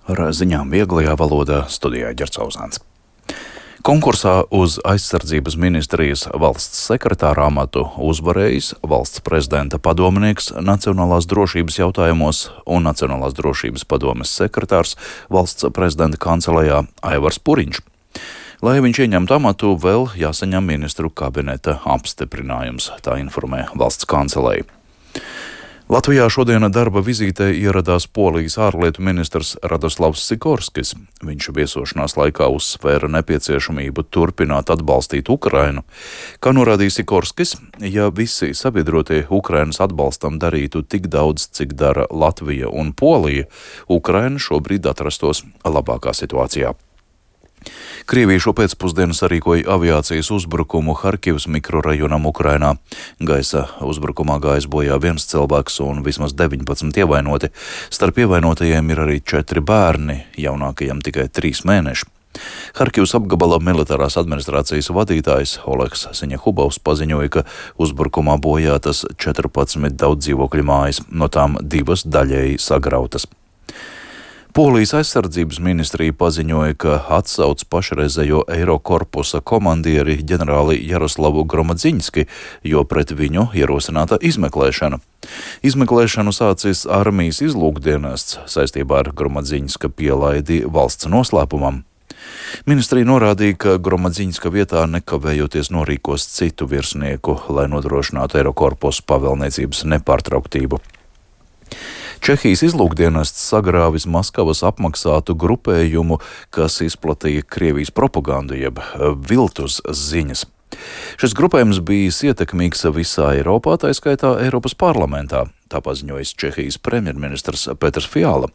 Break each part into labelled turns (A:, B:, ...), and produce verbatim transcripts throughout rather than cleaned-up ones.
A: Ar ziņām vieglajā valodā studijā Ģercauzāns. Konkursā uz aizsardzības ministrijas valsts sekretāra amatu uzvarējis valsts prezidenta padomnieks nacionālās drošības jautājumos un Nacionālās drošības padomes sekretārs valsts prezidenta kancelejā Aivars Puriņš. Lai viņš ieņemtu amatu, vēl jāsaņem ministru kabineta apstiprinājums, tā informē valsts kanceleja. Latvijā šodien darba vizītē ieradās Polijas ārlietu ministrs Radoslavs Sikorskis. Viņš viesošanās laikā uzsvēra nepieciešamību turpināt atbalstīt Ukrainu. Kā norādīja Sikorskis, ja visi sabiedrotie Ukrainas atbalstam darītu tik daudz, cik dara Latvija un Polija, Ukraina šobrīd atrastos labākā situācijā. Krievija šo pēcpusdienu sarīkoja aviācijas uzbrukumu Harkivas mikrorajonam Ukrainā. Gaisa uzbrukumā gājis bojā viens cilvēks un vismaz deviņpadsmit ievainoti. Starp ievainotajiem ir arī četri bērni, jaunākajam tikai trīs mēneši. Harkivas apgabala militārās administrācijas vadītājs Oleks Siņehubovs paziņoja, ka uzbrukumā bojātas četrpadsmit daudzdzīvokļu mājas, no tām divas daļēji sagrautas. Polijas aizsardzības ministrija paziņoja, ka atsauc pašreizējo Eirokorpusa komandieri ģenerāli Jaroslavu Gromadzinski, jo pret viņu ierosināta izmeklēšana. Izmeklēšanu sācis armijas izlūkdienests saistībā ar Gromadzinska pielaidi valsts noslēpumam. Ministrija norādīja, ka Gromadzinska vietā nekavējoties norīkos citu virsnieku, lai nodrošinātu Eirokorpusa pavēlniecības nepārtrauktību. Čehijas izlūkdienests sagrāvis Maskavas apmaksātu grupējumu, kas izplatīja Krievijas propagandu jeb viltus ziņas. Šis grupējums bijis ietekmīgs visā Eiropā, tā skaitā Eiropas parlamentā, tā paziņojas Čehijas premjerministrs Petrs Fiala.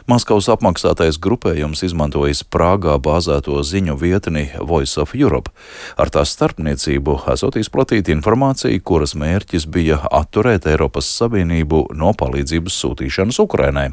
A: Maskavas apmaksātais grupējums izmantojis Prāgā bāzēto ziņu vietni Voice of Europe. Ar tās starpniecību esot izplatīta informācija, kuras mērķis bija atturēt Eiropas Savienību no palīdzības sūtīšanas Ukrainai.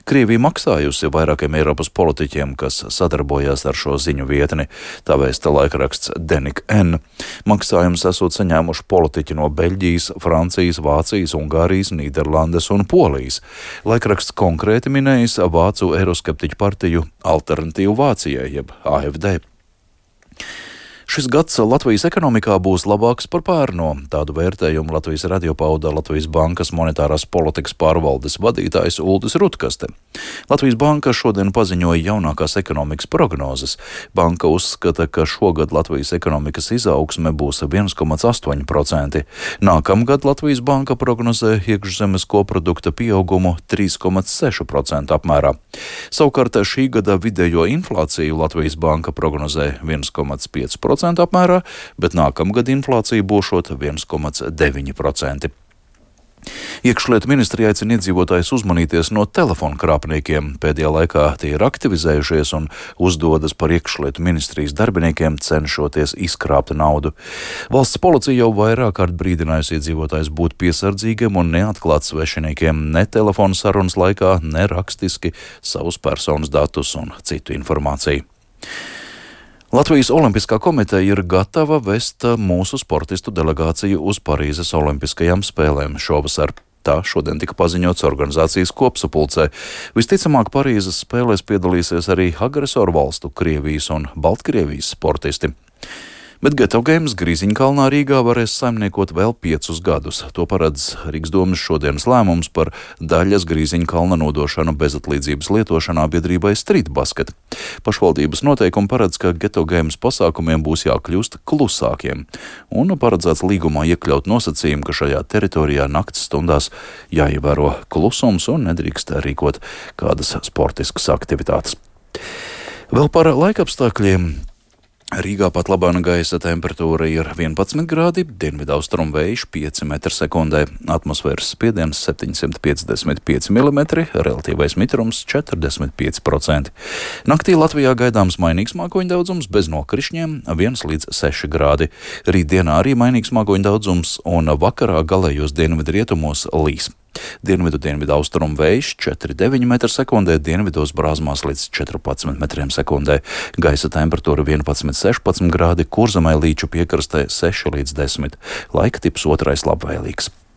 A: Krievija maksājusi vairākiem Eiropas politiķiem, kas sadarbojās ar šo ziņu vietni, tā vēsta laikraksts Denik N. Maksājums esot saņēmuši politiķi no Beļģijas, Francijas, Vācijas, Ungārijas, Nīderlandes un Polijas. Laikraksts konkrēti minējis vācu eiroskeptiķu partiju Alternatīvu Vācijai, jeb A F D. Šis gads Latvijas ekonomikā būs labāks par pērno. Tādu vērtējumu Latvijas radio pauda Latvijas bankas monetārās politikas pārvaldes vadītājs Uldis Rutkaste. Latvijas banka šodien paziņoja jaunākās ekonomikas prognozes. Banka uzskata, ka šogad Latvijas ekonomikas izaugsme būs viens komats astoņi procenti. Nākamgad Latvijas banka prognozē iekšzemes koprodukta pieaugumu trīs komats seši procenti apmērā. Savukārt šī gada vidējo inflāciju Latvijas banka prognozē viens komats pieci procenti apmērā, bet nākamgad inflācija būšot viens komats deviņi procenti. Iekšlietu ministrija aicina iedzīvotājus uzmanīties no telefonu krāpniekiem. Pēdējā laikā tie ir aktivizējušies un uzdodas par iekšlietu ministrijas darbiniekiem, cenšoties izkrāpt naudu. Valsts policija jau vairāk kārt brīdinājusi iedzīvotājus būt piesardzīgiem un neatklāt svešiniekiem ne telefonu sarunas laikā, ne rakstiski savus personas datus un citu informāciju. Latvijas Olimpiskā komiteja ir gatava vest mūsu sportistu delegāciju uz Parīzes Olimpiskajām spēlēm šovasar. Tā šodien tika paziņots organizācijas kopsapulcē. Visticamāk, Parīzes spēlēs piedalīsies arī agresoru valstu Krievijas un Baltkrievijas sportisti. Bet Geto Games Grīziņkalnā Rīgā varēs saimniekot vēl piecus gadus. To paredz Rīgas domes šodienas lēmums par daļas Grīziņkalna nodošanu bezatlīdzības lietošanā biedrībai Street Basket. Pašvaldības noteikumi paredz, ka Geto Games pasākumiem būs jākļūst klusākiem, un paredzēts līgumā iekļaut nosacījumu, ka šajā teritorijā nakts stundās jāievēro klusums un nedrīkst rīkot kādas sportiskas aktivitātes. Vēl par laikapstākļiem. Rīgā pat labāna gaisa temperatūra ir vienpadsmit grādi, dienvidaustrumu vējš pieci metri sekundē, atmosfēras spiediens septiņsimt piecdesmit pieci milimetri, relatīvais mitrums četrdesmit pieci procenti. Naktī Latvijā gaidāms mainīgs mākoņu daudzums bez nokrišņiem viens līdz seši grādi. Rītdienā arī mainīgs mākoņu daudzums un vakarā galējos dienvidu rietumos līs. Dienvidu dienvidu austrumu vējš četri deviņi metri sekundē, dienvidos brāzmās līdz četrpadsmit metriem sekundē. Gaisa temperatūra vienpadsmit sešpadsmit grādi, Kurzemē līču piekrastē seši līdz desmit. Laika tips otrais labvēlīgs.